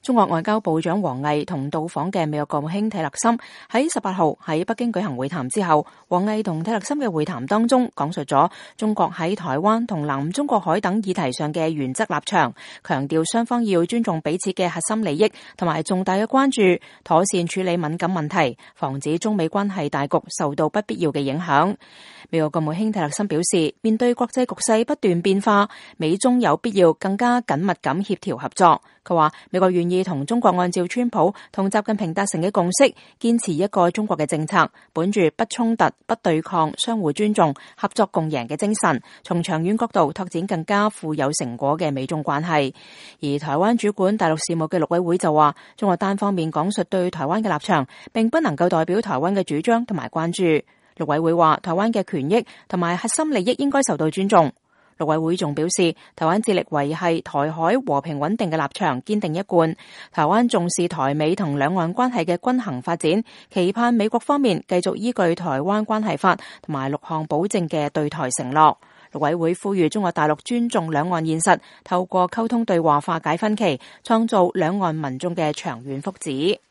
中國外交部長王毅同到訪嘅美國國務卿蒂勒森喺18號喺北京舉行會談之後，王毅同蒂勒森嘅會談當中講述咗中國喺台灣同南中國海等議題上嘅原則立場，強調雙方要尊重彼此嘅核心利益同埋重大嘅關注，妥善處理敏感問題，防止中美關係大局受到不必要嘅影響。美國國務卿蒂勒森表示，面對國際局勢不斷變化，美中有必要更加緊密咁協調合作。佢話美國願意同中國按照川普同習近平達成嘅共識，堅持一個中國嘅政策，本住不衝突、不對抗、相互尊重、合作共贏嘅精神，從長遠角度拓展更加富有成果嘅美中關係。而台灣主管大陸事務嘅陸委會就話，中國單方面講述對台灣嘅立場，並不能夠代表台灣嘅主張同埋關注。陸委會話，台灣嘅權益同埋核心利益應該受到尊重。陸委會仲表示，台灣致力維繫台海和平穩定嘅立場堅定一貫，台灣重視台美同兩岸關係嘅均衡發展，期盼美國方面繼續依據台灣關係法同埋6項保證嘅對台承諾。陸委會呼籲中國大陸尊重兩岸現實，透過溝通對話化解分歧，創造兩岸民眾嘅長遠福祉。